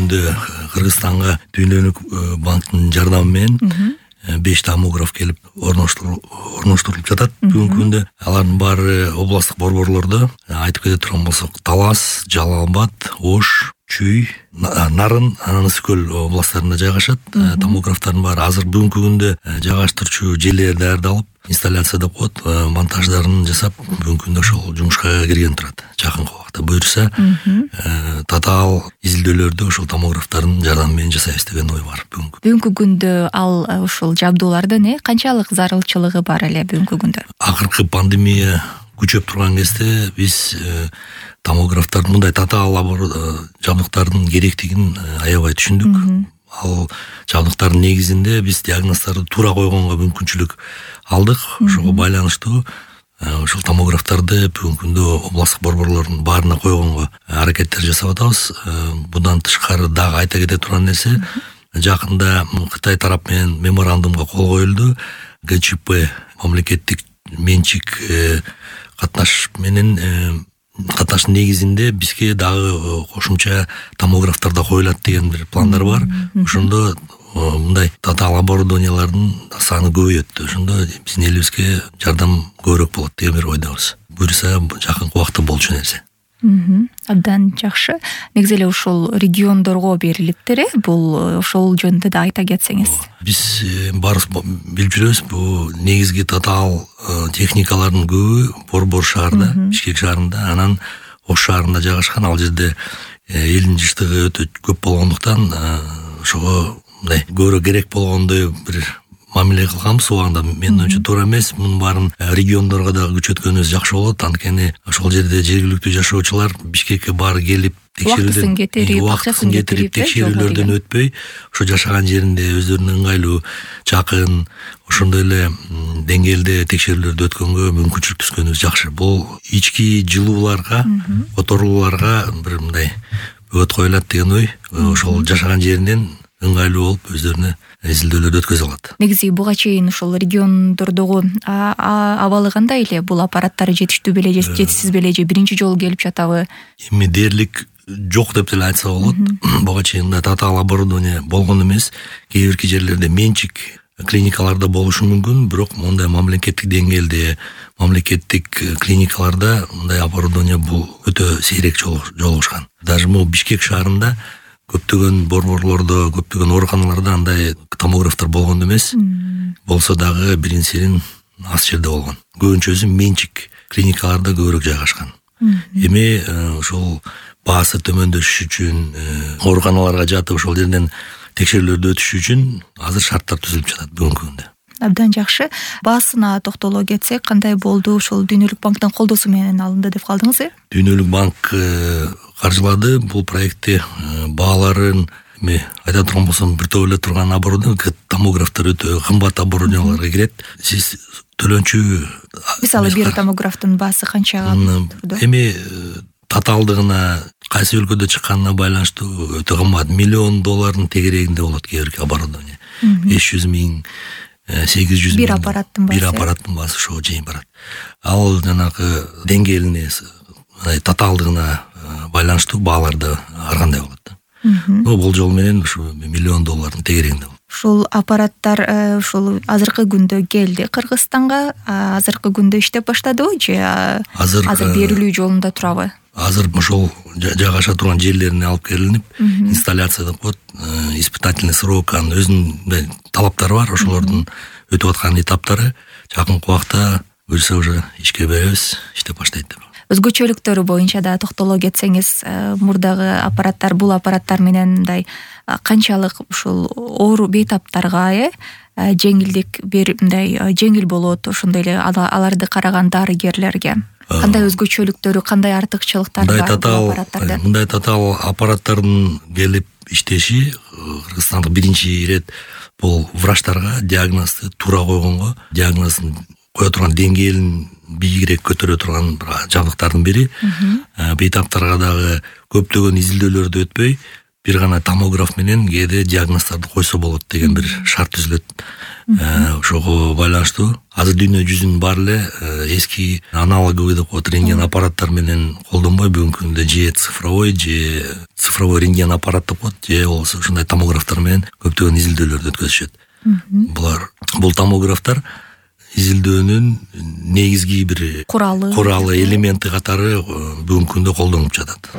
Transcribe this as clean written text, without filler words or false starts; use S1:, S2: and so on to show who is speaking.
S1: күндө Кыргызстанга Дүйнөлүк банктын жардамы менен 5 томограф келип орноштурулуп жатат. Бүгүнкү күндө алардын баары областтык борборлордо, айтып кете турган болсок, Талас, Жалал абад, Ош, Чүй, Нарын, Ысык-Көл областтарында жайгашат. Томографтардын баары азыр бүгүнкү күндө жайгаштырчу жерлери даярдалып, инсталляция деп коет, монтаждарын жасап, бүгүнкү күндө ошол жумушка кирген турат. Жакынкы убакта буюрса, татаал изилдөөлөрдү ошол томографтардын жардамы менен жасайбыз деген ой бар
S2: бүгүнкү күндө. Ал ушул жабдуулардын канчалык зарылчылыгы бар эле бүгүнкү күндө?
S1: Акыркы пандемия күчөп турган кезде биз томографтардын, мындай татаал жабдыктардын керектигин аябай түшүндүк. Ал жабдыктардын негизинде биз диагноздорду туура койгонго мүмкүнчүлүк алдык. Ошого байланыштуу ошол томографтарды бүгүнкү күндө областтык борборлордун баарына койгонго аракеттер жасап атабыз. Будан тышкары дагы айта кете турган нерсе, жакында Кытай тарап менен меморандумга кол коюлду. ГЧП мамлекеттик менчик катнаш менен катнаштын негизинде бизге дагы кошумча томографтар да коюлат деген бир пландар бар. Ошондо мындай татаал оборудованиялардын саны көбөйөт. Ошондо биздин элибизге жардам көбүрөөк болот деген бир ойдобуз. Буюрса жакынкы убакта болчу нерсе.
S2: Абдан жакшы. Негизи эле ушул региондорго берилиптир, бул ошол жөнүндө да айта кетсеңиз.
S1: Биз баарыбыз билип жүрөбүз, бул негизги татаал техникалардын көбү Борбор шаарында, Бишкек шаарында, анан Ош шаарында жайгашкан. Ал жерде элдин жыштыгы өтө көп болгондуктан ошого мындай көбүрөөк керек болгондой бир мамиле кылганбыз. Убагында менин оюмча туура эмес. Мунун баарын региондорго дагы күчөткөнүбүз жакшы болот. Анткени ошол жерде жергиликтүү жашоочулар Бишкекке баары келип
S2: убактысын кетирип
S1: текшерүүлөрдөн өтпөй, ошо жашаган жеринде өздөрүнө ыңгайлуу, жакын, ошондой эле деңгээлде текшерүүлөрдү өткөнгө мүмкүнчүлүк түзгөнүбүз жакшы. Бул ички жылууларга, которууларга бир мындай өт коюлат деген ой. Ошол жашаган жеринен ыңгайлуу болуп өздөрүнө изилдөөлөрдү өткөзө алат.
S2: Негизи буга чейин ошол региондордогу абалы кандай эле? Бул аппараттар жетиштүү беле же жетишсиз беле же биринчи жолу келип жатабы?
S1: Эми дээрлик жок деп деле айтса болот. Буга чейин татаал оборудование болгон эмес. Кээ бирки жерлерде менчик клиникаларда болушу мүмкүн, бирок мондай мамлекеттик деңгээлде, мамлекеттик клиникаларда мындай оборудование бул өтө сейрек жолугушкан. Даже могу Бишкек шаарында көптөгөн борборлордо, көптөгөн ооруканаларда андай томографтар болгон эмес. Болсо дагы бирин-сирин аз жерде болгон. Көбүнчөсү менчик клиникаларда көбүрөөк жайгашкан. Эми ошол баасы төмөндөшүш үчүн, ооруканаларга жатып ошол жерден текшерүүлөрдү өтүш үчүн азыр шарттар түзүлүп жатат бүгүнкү күндө.
S2: Абдан жакшы. Баасына токтоло кетсек, кандай болду? Ошол Дүйнөлүк банктын колдоосу менен алынды деп калдыңыз,
S1: Дүйнөлүк банк каржылады бул проектти. Бааларын эми айта турган болсом, бир топ эле турган оборудование, томографтар өтө кымбат оборудованияларга кирет. Сиз төлөнчү,
S2: мисалы бир томографтын баасы канчага турду?
S1: Эми татаалдыгына, кайсы өлкөдө чыкканына байланыштуу өтө кымбат. $1,000,000 тегерегинде болот кээ бирки оборудование. 500 миң, 800
S2: бир аппараттын
S1: баасы ошого чейин барат. Ал жанагы деңгээлине, татаалдыгына байланыштуу бааларды ар кандай болот. Болжол менен ушу $1,000,000 тегерегинде болот.
S2: Ушул аппараттар ушул азыркы күндө келди Кыргызстанга, азыркы күндө иштеп баштадыбы же азыр берилүү жолунда турабы? Азыр
S1: ошол жайгаша турган жерлерине алып келинип, инсталляция деп коет, испытательный срок, анын өзүнүн талаптары бар. Ошолордун өтүп аткан этаптары жакынкы убакта буюрса уже ишке беребиз, иштеп баштайт деп.
S2: Өзгөчөлүктөрү боюнча да токтоло кетсеңиз, мурдагы аппараттар, бул аппараттар менен мындай канчалык ушул оору бейтаптарга жеңилдик берип, мындай жеңил болот, ошондой эле аларды караган дарыгерлерге кандай өзгөчөлүктөрү, кандай артыкчылыктары бар?
S1: Мындай татаал аппараттардын келип иштеши Кыргызстанда биринчи ирет бул врачтарга диагнозду туура койгонго, диагнозун кое турган деңгээлин бийигирээк көтөрө турган жабдыктардын бири. Бейтаптарга дагы көптөгөн изилдөөлөрдү өтпөй, бир гана томограф менен кээде диагноздорду койсо болот деген бир шарт түзүлөт. Ошого байланыштуу азыр дүйнө жүзүнүн баары эле эски аналоговый деп коет рентген аппараттар менен колдонбой бүгүнкү күндө же цифровой рентген аппарат деп коет, же болбосо ушундай томографтар менен көптөгөн изилдөөлөрдү өткөзүшөт. Бул томографтар изилдөөнүн негизги бир куралы элементи катары бүгүнкү күндө колдонуп жатат.